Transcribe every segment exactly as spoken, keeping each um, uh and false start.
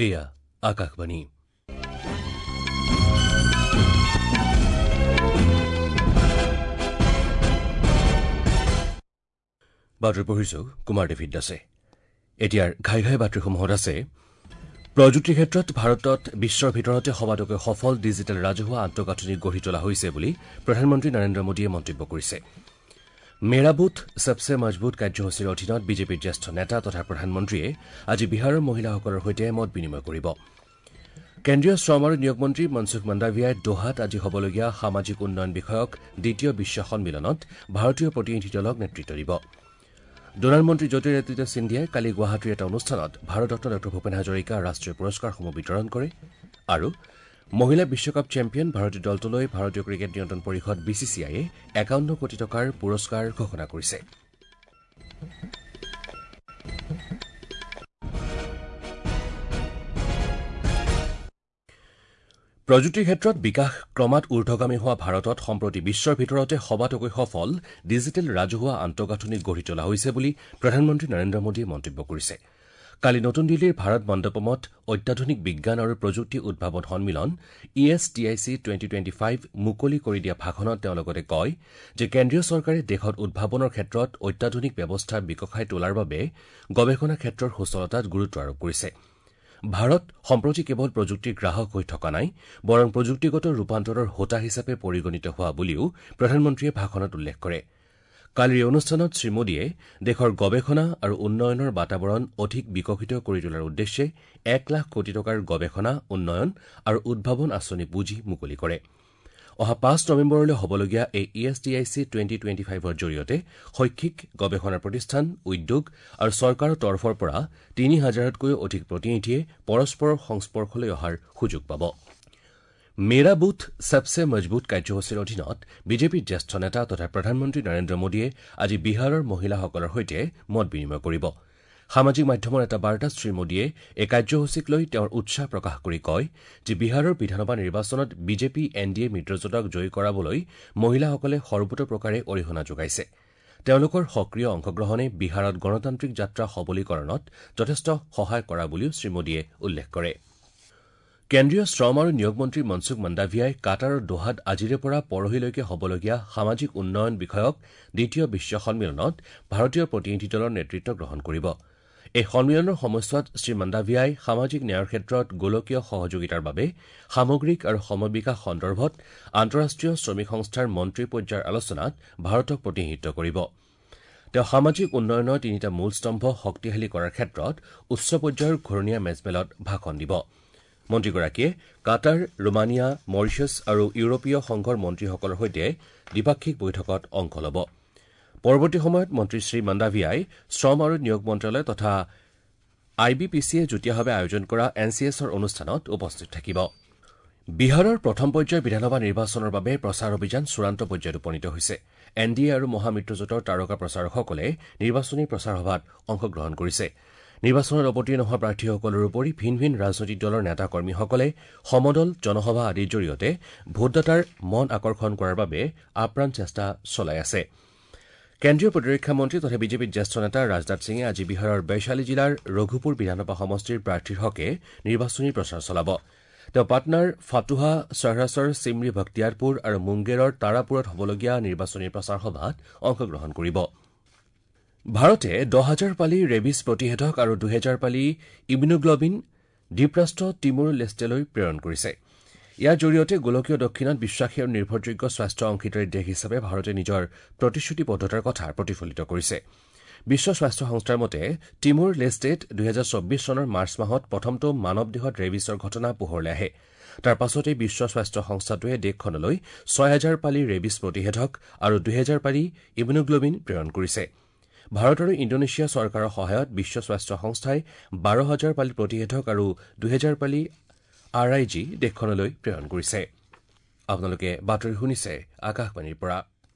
এয়া আকাশবাণী। বাতৰি পঢ়িছো কুমাৰ ডেভিড দাসে। এতিয়াৰ ঘাই ঘাই বাতৰিসমূহত আছে প্ৰযুক্তিৰ ক্ষেত্ৰত ভাৰতত বিশ্বৰ ভিতৰতে সবাতোকৈ সফল ডিজিটেল ৰাজহুৱা আন্তঃগাঁথনি গঢ়ি তোলা হৈছে বুলি প্ৰধানমন্ত্ৰী নৰেন্দ্ৰ মোদীয়ে মন্তব্য কৰিছে। মেৰা বুথ সবসে মজবুত কাৰ্যসূচীৰ অধীনত বিজেপিৰ জ্যেষ্ঠ নেতা তথা প্ৰধানমন্ত্ৰীয়ে আজি বিহাৰৰ মহিলাসকলৰ সৈতে মত বিনিময় কৰিব। কেন্দ্ৰীয় শ্ৰম আৰু নিয়োগ মন্ত্ৰী মনসুখ মাণ্ডাভিয়াই দোহাত আজি হ'বলগীয়া সামাজিক উন্নয়ন বিষয়ক দ্বিতীয় বিশ্ব সন্মিলনত ভাৰতীয় প্ৰতিনিধি দলক নেতৃত্ব দিব। ডোনাৰ মন্ত্ৰী জ্যোতিৰাদিত্য সিন্ধিয়াই কালি গুৱাহাটীৰ এটা অনুষ্ঠানত ভাৰতৰত্ন ডঃ ভূপেন হাজৰিকা ৰাষ্ট্ৰীয় পুৰস্কাৰসমূহ বিতৰণ কৰে। আৰু মহিলা বিশ্বকাপ চেম্পিয়ন ভাৰতীয় দলটোলৈ ভাৰতীয় ক্ৰিকেট নিয়ন্ত্ৰণ পৰিষদ বি চি চি আইয়ে একাৱন্ন কোটি টকাৰ পুৰস্কাৰ ঘোষণা কৰিছে। প্ৰযুক্তিৰ ক্ষেত্ৰত বিকাশ ক্ৰমাৎ ঊৰ্ধগামী হোৱা ভাৰতত সম্প্ৰতি বিশ্বৰ ভিতৰতে সবাতোকৈ সফল ডিজিটেল ৰাজহুৱা আন্তঃগাঁথনি গঢ়ি তোলা হৈছে বুলি প্ৰধানমন্ত্ৰী নৰেন্দ্ৰ মোদীয়ে মন্তব্য কৰিছে। কালি নতুন দিল্লীৰ ভাৰত মণ্ডপমত অত্যাধুনিক বিজ্ঞান আৰু প্ৰযুক্তি উদ্ভাৱন সন্মিলন E S T I C twenty twenty five মুকলি কৰি দিয়া ভাষণত তেওঁ লগতে কয় যে কেন্দ্ৰীয় চৰকাৰে দেশত উদ্ভাৱনৰ ক্ষেত্ৰত অত্যাধুনিক ব্যৱস্থা বিকশাই তোলাৰ বাবে গৱেষণা ক্ষেত্ৰৰ সুচলতাত গুৰুত্ব আৰোপ কৰিছে। ভাৰত সম্প্ৰতি কেৱল প্ৰযুক্তিৰ গ্ৰাহক হৈ থকা নাই, বৰং প্ৰযুক্তিগত ৰূপান্তৰৰ হোতা হিচাপে পৰিগণিত হোৱা বুলিও প্ৰধানমন্ত্ৰীয়ে ভাষণত উল্লেখ কৰে। কালিৰ এই অনুষ্ঠানত শ্ৰীমোদীয়ে দেশৰ গৱেষণা আৰু উন্নয়নৰ বাতাবৰণ অধিক বিকশিত কৰি তোলাৰ উদ্দেশ্যে এক লাখ কোটি টকাৰ গৱেষণা, উন্নয়ন আৰু উদ্ভাৱন আঁচনি পুঁজি মুকলি কৰে। অহা পাঁচ নৱেম্বৰলৈ হ'বলগীয়া এই E S T I C twenty twenty ফাইভৰ জৰিয়তে শৈক্ষিক গৱেষণা প্ৰতিষ্ঠান, উদ্যোগ আৰু চৰকাৰৰ তৰফৰ পৰা তিনি হাজাৰতকৈও অধিক প্ৰতিনিধিয়ে পৰস্পৰৰ সংস্পৰ্শলৈ অহাৰ সুযোগ পাব। মেৰা বুথ সবসে মজবুত কাৰ্যসূচীৰ অধীনত বিজেপিৰ জ্যেষ্ঠ নেতা তথা প্ৰধানমন্ত্ৰী নৰেন্দ্ৰ মোদীয়ে আজি বিহাৰৰ মহিলাসকলৰ সৈতে মত বিনিময় কৰিব। সামাজিক মাধ্যমৰ এটা বাৰ্তাত শ্ৰীমোদীয়ে এই কাৰ্যসূচীক লৈ তেওঁৰ উৎসাহ প্ৰকাশ কৰি কয় যে বিহাৰৰ বিধানসভা নিৰ্বাচনত বিজেপি এন ডি এ মিত্ৰজোঁটক জয়ী কৰাবলৈ মহিলাসকলে সৰ্বতোপ্ৰকাৰে অৰিহণা যোগাইছে। তেওঁলোকৰ সক্ৰিয় অংশগ্ৰহণে বিহাৰত গণতান্ত্ৰিক যাত্ৰা সবলীকৰণত যথেষ্ট সহায় কৰা বুলিও শ্ৰীমোদীয়ে উল্লেখ কৰে। কেন্দ্ৰীয় শ্ৰম আৰু নিয়োগ মন্ত্ৰী মনসুখ মাণ্ডাভিয়াই কাটাৰৰ দোহাত আজিৰে পৰা পৰহিলৈকে হ'বলগীয়া সামাজিক উন্নয়ন বিষয়ক দ্বিতীয় বিশ্ব সন্মিলনত ভাৰতীয় প্ৰতিনিধি দলৰ নেতৃত্ব গ্ৰহণ কৰিব। এই সন্মিলনৰ সময়ছোৱাত শ্ৰীমাণ্ডাভিয়াই সামাজিক ন্যায়ৰ ক্ষেত্ৰত গোলকীয় সহযোগিতাৰ বাবে সামগ্ৰিক আৰু সমবিকাশ সন্দৰ্ভত আন্তঃৰাষ্ট্ৰীয় শ্ৰমিক সংস্থাৰ মন্ত্ৰী পৰ্যায়ৰ আলোচনাত ভাৰতক প্ৰতিনিধিত্ব কৰিব। তেওঁ সামাজিক উন্নয়নৰ তিনিটা মূল স্তম্ভ শক্তিশালী কৰাৰ ক্ষেত্ৰত উচ্চ পৰ্যায়ৰ ঘূৰণীয়া মেজমেলত ভাষণ দিব। মন্ত্ৰীগৰাকীয়ে কাটাৰ, ৰোমানিয়া, মৰিচাছ আৰু ইউৰোপীয় সংঘৰ মন্ত্ৰীসকলৰ সৈতে দ্বিপাক্ষিক বৈঠকত অংশ ল'ব। পৰৱৰ্তী সময়ত মন্ত্ৰী শ্ৰী মাণ্ডাভিয়াই শ্ৰম আৰু নিয়োগ মন্ত্ৰালয় তথা আই বি পি চিয়ে যুটীয়াভাৱে আয়োজন কৰা এন চি এছৰ অনুষ্ঠানত উপস্থিত থাকিব। বিহাৰৰ প্ৰথম পৰ্যায়ৰ বিধানসভা নিৰ্বাচনৰ বাবে প্ৰচাৰ অভিযান চূড়ান্ত পৰ্যায়ত উপনীত হৈছে। এন ডি এ আৰু মহামিত্ৰজোঁটৰ তাৰকা প্ৰচাৰকসকলে নিৰ্বাচনী প্ৰচাৰ সভাত অংশগ্ৰহণ কৰিছে। নিৰ্বাচনত অৱতীৰ্ণ হোৱা প্ৰাৰ্থীসকলৰ উপৰি ভিন ভিন ৰাজনৈতিক দলৰ নেতা কৰ্মীসকলে সমদল, জনসভা আদিৰ জৰিয়তে ভোটদাতাৰ মন আকৰ্ষণ কৰাৰ বাবে আপ্ৰাণ চেষ্টা চলাই আছে। কেন্দ্ৰীয় প্ৰতিৰক্ষা মন্ত্ৰী তথা বিজেপিৰ জ্যেষ্ঠ নেতা ৰাজনাথ সিঙে আজি বিহাৰৰ বৈশালী জিলাৰ ৰঘুপুৰ বিধানসভা সমষ্টিৰ প্ৰাৰ্থীৰ হকে নিৰ্বাচনী প্ৰচাৰ চলাব। তেওঁ পাটনাৰ ফাতুহা, চহৰাছৰ চিমৰি ভক্তিয়াৰপুৰ আৰু মুংগেৰৰ তাৰাপুৰত হ'বলগীয়া নিৰ্বাচনী প্ৰচাৰ সভাত অংশগ্ৰহণ কৰিব। ভাৰতে দহ হাজাৰ পালি ৰেবিছ প্ৰতিষেধক আৰু দুহেজাৰ পালি ইমিউনোগ্লবিন দ্বীপৰাষ্ট্ৰ তিমুৰ লেষ্টেলৈ প্ৰেৰণ কৰিছে। ইয়াৰ জৰিয়তে গোলকীয় দক্ষিণত বিশ্বাসী আৰু নিৰ্ভৰযোগ্য স্বাস্থ্য অংশীদাৰী দেশ হিচাপে ভাৰতে নিজৰ প্ৰতিশ্ৰুতিবদ্ধতাৰ কথা প্ৰতিফলিত কৰিছে। বিশ্ব স্বাস্থ্য সংস্থাৰ মতে তিমুৰ লেষ্টেত দুহেজাৰ চৌব্বিছ চনৰ মাৰ্চ মাহত প্ৰথমটো মানৱ দেহত ৰেবিছৰ ঘটনা পোহৰলৈ আহে। তাৰ পাছতেই বিশ্ব স্বাস্থ্য সংস্থাটোৱে দেশখনলৈ ছয় হাজাৰ পালি ৰেবিছ প্ৰতিষেধক আৰু দুহেজাৰ পালি ইমিউনোগ্লবিন প্ৰেৰণ কৰিছে। ভাৰত আৰু ইণ্ডোনেছিয়া চৰকাৰৰ সহায়ত বিশ্ব স্বাস্থ্য সংস্থাই বাৰ হাজাৰ পালি প্ৰতিষেধক আৰু দুহেজাৰ পালি আৰ I G দেশখনলৈ প্ৰেৰণ কৰিছে। আপোনালোকে বাতৰি শুনিছে আকাশবাণীৰ পৰা।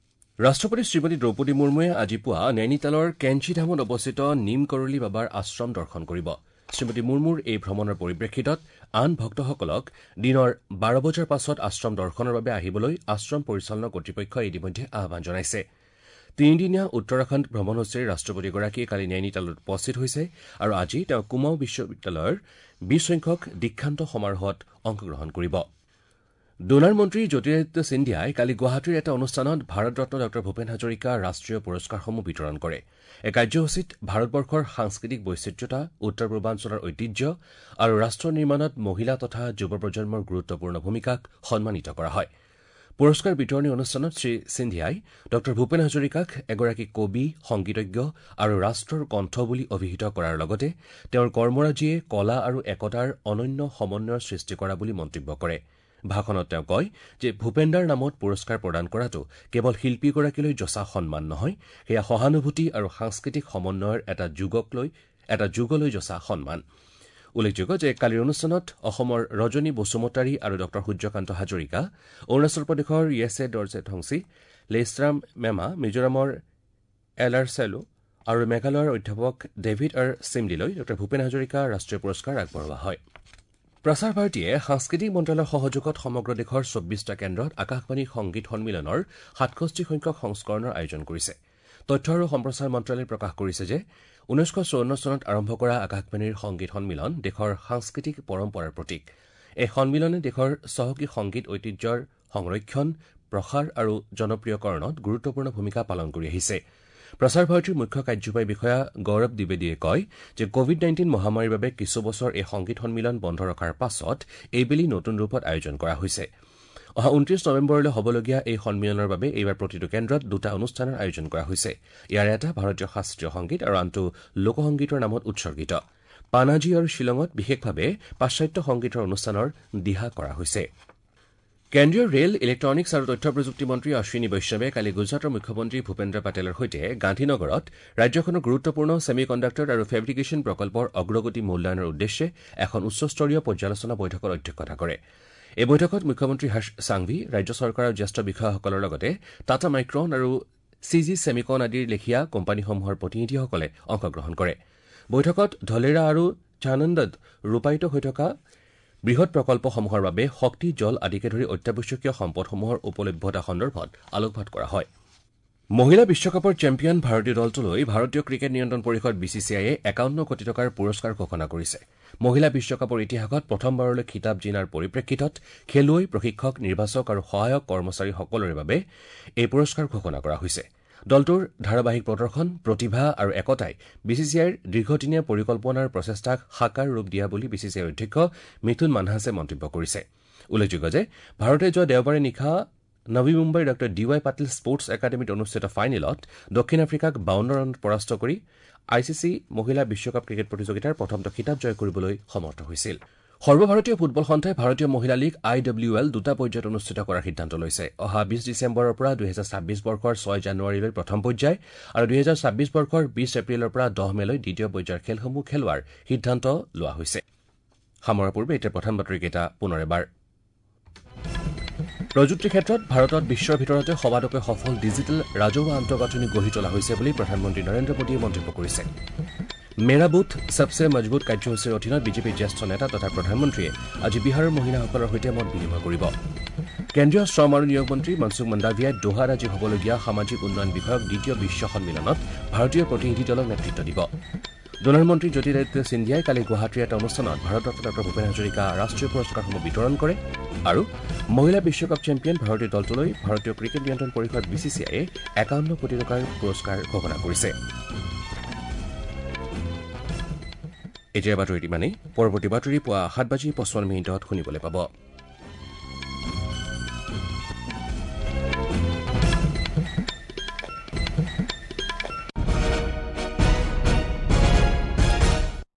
ৰাষ্ট্ৰপতি শ্ৰীমতী দ্ৰৌপদী মুৰ্মুৱে আজি পুৱা নৈনিতালৰ কেঞ্চিধামত অৱস্থিত নিম কৰলি বাবাৰ আশ্ৰম দৰ্শন কৰিব। শ্ৰীমতী মুৰ্মুৰ এই ভ্ৰমণৰ পৰিপ্ৰেক্ষিতত আন ভক্তসকলক দিনৰ বাৰ বজাৰ পাছত আশ্ৰম দৰ্শনৰ বাবে আহিবলৈ আশ্ৰম পৰিচালনা কৰ্তৃপক্ষই ইতিমধ্যে আহ্বান জনাইছে। তিনিদিনীয়া উত্তৰাখণ্ড ভ্ৰমণসূচীৰে ৰাষ্ট্ৰপতিগৰাকীয়ে কালি নৈনিতালত উপস্থিত হৈছে আৰু আজি তেওঁ কুমাও বিশ্ববিদ্যালয়ৰ বিশ সংখ্যক দীক্ষান্ত সমাৰোহত অংশগ্ৰহণ কৰিব। ডোনাৰ মন্ত্ৰী জ্যোতিৰাদিত্য সিন্ধিয়াই কালি গুৱাহাটীৰ এটা অনুষ্ঠানত ভাৰতৰত্ন ডঃ ভূপেন হাজৰিকা ৰাষ্ট্ৰীয় পুৰস্কাৰসমূহ বিতৰণ কৰে। এই কাৰ্যসূচীত ভাৰতবৰ্ষৰ সাংস্কৃতিক বৈচিত্ৰ্যতা, উত্তৰ পূৰ্বাঞ্চলৰ ঐতিহ্য আৰু ৰাষ্ট্ৰ নিৰ্মাণত মহিলা তথা যুৱ প্ৰজন্মৰ গুৰুত্বপূৰ্ণ ভূমিকাক সন্মানিত কৰা হয়। পুৰস্কাৰ বিতৰণী অনুষ্ঠানত শ্ৰী সিন্ধিয়াই ডঃ ভূপেন হাজৰিকাক এগৰাকী কবি, সংগীতজ্ঞ আৰু ৰাষ্ট্ৰৰ কণ্ঠ বুলি অভিহিত কৰাৰ লগতে তেওঁৰ কৰ্মৰাজিয়ে কলা আৰু একতাৰ অনন্য সমন্বয়ৰ সৃষ্টি কৰা বুলি মন্তব্য কৰে। ভাষণত তেওঁ কয় যে ভূপেন্দাৰ নামত পুৰস্কাৰ প্ৰদান কৰাটো কেৱল শিল্পীগৰাকীলৈ যচা সন্মান নহয়, সেয়া সহানুভূতি আৰু সাংস্কৃতিক সমন্বয়ৰ এটা যুগক লৈ এটা যুগলৈ যচা সন্মান। উল্লেখযোগ্য যে কালিৰ অনুষ্ঠানত অসমৰ ৰজনী বসুমতাৰী আৰু ডঃ সূৰ্যকান্ত হাজৰিকা, অৰুণাচল প্ৰদেশৰ য়েছে দৰ্জে ঠংচি, লেইশ্ৰাম মেমা, মিজোৰামৰ এল আৰ চেলো আৰু মেঘালয়ৰ অধ্যাপক ডেভিড আৰ চিমলিলৈ ডঃ ভূপেন হাজৰিকা ৰাষ্ট্ৰীয় পুৰস্কাৰ আগবঢ়োৱা হয়। প্ৰসাৰ ভাৰতীয়ে সাংস্কৃতিক মন্ত্ৰালয়ৰ সহযোগত সমগ্ৰ দেশৰ চৌব্বিছটা কেন্দ্ৰত আকাশবাণী সংগীত সন্মিলনৰ সাতষষ্ঠি সংখ্যক সংস্কৰণৰ আয়োজন কৰিছে। তথ্য আৰু সম্প্ৰচাৰ মন্ত্ৰালয়ে প্ৰকাশ কৰিছে যে ঊনৈছশ চৌৱন্ন চনত আৰম্ভ কৰা আকাশবাণীৰ সংগীত সন্মিলন দেশৰ সাংস্কৃতিক পৰম্পৰাৰ প্ৰতীক। এই সন্মিলনে দেশৰ চহকী সংগীত ঐতিহ্যৰ সংৰক্ষণ, প্ৰসাৰ আৰু জনপ্ৰিয়কৰণত গুৰুত্বপূৰ্ণ ভূমিকা পালন কৰি আহিছে। প্ৰসাৰ ভাৰতীৰ মুখ্য কাৰ্যবাহী বিষয়া গৌৰৱ দ্বিবেদীয়ে কয় যে কোভিড নাইণ্টিন মহামাৰীৰ বাবে কিছু বছৰ এই সংগীত সন্মিলন বন্ধ ৰখাৰ পাছত এইবেলি নতুন ৰূপত আয়োজন কৰা হৈছে। অহা ঊনত্ৰিশ নৱেম্বৰলৈ হ'বলগীয়া এই সন্মিলনৰ বাবে এইবাৰ প্ৰতিটো কেন্দ্ৰত দুটা অনুষ্ঠানৰ আয়োজন কৰা হৈছে। ইয়াৰে এটা ভাৰতীয় শাস্ত্ৰীয় সংগীত আৰু আনটো লোকসংগীতৰ নামত উৎসৰ্গিত। পানাজী আৰু শ্বিলঙত বিশেষভাৱে পাশ্চাত্য সংগীতৰ অনুষ্ঠানৰ দিহা কৰা হৈছে। কেন্দ্ৰীয় ৰেল, ইলেক্ট্ৰনিক্স আৰু তথ্য প্ৰযুক্তি মন্ত্ৰী অশ্বিনী বৈষ্ণৱে কালি গুজৰাটৰ মুখ্যমন্ত্ৰী ভূপেন্দ্ৰ পেটেলৰ সৈতে গান্ধীনগৰত ৰাজ্যখনৰ গুৰুত্বপূৰ্ণ ছেমি কণ্ডাক্টৰ আৰু ফেব্ৰিকেশ্যন প্ৰকল্পৰ অগ্ৰগতি মূল্যায়নৰ উদ্দেশ্যে এখন উচ্চস্তৰীয় পৰ্যালোচনা বৈঠকৰ অধ্যক্ষতা কৰে। এই বৈঠকত মুখ্যমন্ত্ৰী হৰ্ষ সাংভি, ৰাজ্য চৰকাৰৰ জ্যেষ্ঠ বিষয়াসকলৰ লগতে টাটা মাইক্ৰন আৰু চি জি ছেমিকন আদিৰ লেখীয়া কোম্পানীসমূহৰ প্ৰতিনিধিসকলে অংশগ্ৰহণ কৰে। বৈঠকত ধলেৰা আৰু চানন্দত ৰূপায়িত হৈ থকা বৃহৎ প্ৰকল্পসমূহৰ বাবে শক্তি, জল আদিকে ধৰি অত্যাৱশ্যকীয় সম্পদসমূহৰ উপলভ্যতা সন্দৰ্ভত আলোকপাত কৰা হয়। মহিলা বিশ্বকাপৰ চেম্পিয়ন ভাৰতীয় দলটোলৈ ভাৰতীয় ক্ৰিকেট নিয়ন্ত্ৰণ পৰিষদ বি চি চি আইয়ে একাৱন্ন কোটি টকাৰ পুৰস্কাৰ ঘোষণা কৰিছে। মহিলা বিশ্বকাপৰ ইতিহাসত প্ৰথমবাৰলৈ খিতাপ জিনাৰ পৰিপ্ৰেক্ষিতত খেলুৱৈ, প্ৰশিক্ষক, নিৰ্বাচক আৰু সহায়ক কৰ্মচাৰীসকলৰে বাবে এই পুৰস্কাৰ ঘোষণা কৰা হৈছে। দলটোৰ ধাৰাবাহিক প্ৰদৰ্শন, প্ৰতিভা আৰু একতাই বি চি চি আইৰ দীৰ্ঘদিনীয়া পৰিকল্পনাৰ প্ৰচেষ্টাক সাকাৰ ৰূপ দিয়া বুলি বি চি চি আইৰ অধ্যক্ষ মিথুন মানহাছে মন্তব্য কৰিছে। উল্লেখযোগ্য যে ভাৰতে যোৱা দেওবাৰে নিশা নৱী মুম্বাইৰ ডঃ ডি ৱাই পাটিল স্পৰ্টছ একাডেমীত অনুষ্ঠিত ফাইনেলত দক্ষিণ আফ্ৰিকাক বাৱন্ন ৰানত পৰাস্ত কৰি I C C মহিলা বিশ্বকাপ ক্ৰিকেট প্ৰতিযোগিতাৰ প্ৰথমটো খিতাপ জয় কৰিবলৈ সমৰ্থ হৈছিল। সৰ্বভাৰতীয় ফুটবল সন্থাই ভাৰতীয় মহিলা লীগ আই ডব্লিউ এল দুটা পৰ্যায়ত অনুষ্ঠিত কৰাৰ সিদ্ধান্ত লৈছে। অহা বিশ ডিচেম্বৰৰ পৰা দুহেজাৰ ছাব্বিছ বৰ্ষৰ ছয় জানুৱাৰীলৈ প্ৰথম পৰ্যায় আৰু দুহেজাৰ ছাব্বিছ বৰ্ষৰ বিশ এপ্ৰিলৰ পৰা দহ মেলৈ দ্বিতীয় পৰ্যায়ৰ খেলসমূহ খেলোৱাৰ সিদ্ধান্ত লোৱা হৈছে। সামৰাৰ পূৰ্বে এতিয়া প্ৰধান বাতৰিকেইটা পুনৰ এবাৰ। প্ৰযুক্তিৰ ক্ষেত্ৰত ভাৰতত বিশ্বৰ ভিতৰতে সবাতোকৈ সফল ডিজিটেল ৰাজহুৱা আন্তঃগাঁথনি গঢ়ি তোলা হৈছে বুলি প্ৰধানমন্ত্ৰী নৰেন্দ্ৰ মোদীয়ে মন্তব্য কৰিছে। মেৰা বুথ সবসে মজবুত কাৰ্যসূচীৰ অধীনত বিজেপিৰ জ্যেষ্ঠ নেতা তথা প্ৰধানমন্ত্ৰীয়ে আজি বিহাৰৰ মহিলাসকলৰ সৈতে মত বিনিময় কৰিব। কেন্দ্ৰীয় শ্ৰম আৰু নিয়োগ মন্ত্ৰী মনসুখ মন্দাভিয়াই দোহাত আজি হ'বলগীয়া সামাজিক উন্নয়ন বিষয়ক দ্বিতীয় বিশ্ব সন্মিলনত ভাৰতীয় প্ৰতিনিধি দলক নেতৃত্ব দিব। ডোনাৰ মন্ত্ৰী জ্যোতিৰাদিত্য সিন্ধিয়াই কালি গুৱাহাটীৰ এটা অনুষ্ঠানত ভাৰতৰত্ন ডঃ ভূপেন হাজৰিকা ৰাষ্ট্ৰীয় পুৰস্কাৰসমূহ বিতৰণ কৰে আৰু মহিলা বিশ্বকাপ চেম্পিয়ন ভাৰতীয় দলটোলৈ ভাৰতীয় ক্ৰিকেট নিয়ন্ত্ৰণ পৰিষদ বি চি চি আইয়ে একাৱন্ন কোটি টকাৰ পুৰস্কাৰ ঘোষণা কৰিছে। এতিয়া বাতৰিত ইমানেই। পৰৱৰ্তী বাতৰি পুৱা সাত বাজি পঁচপন্ন মিনিটত শুনিবলৈ পাব।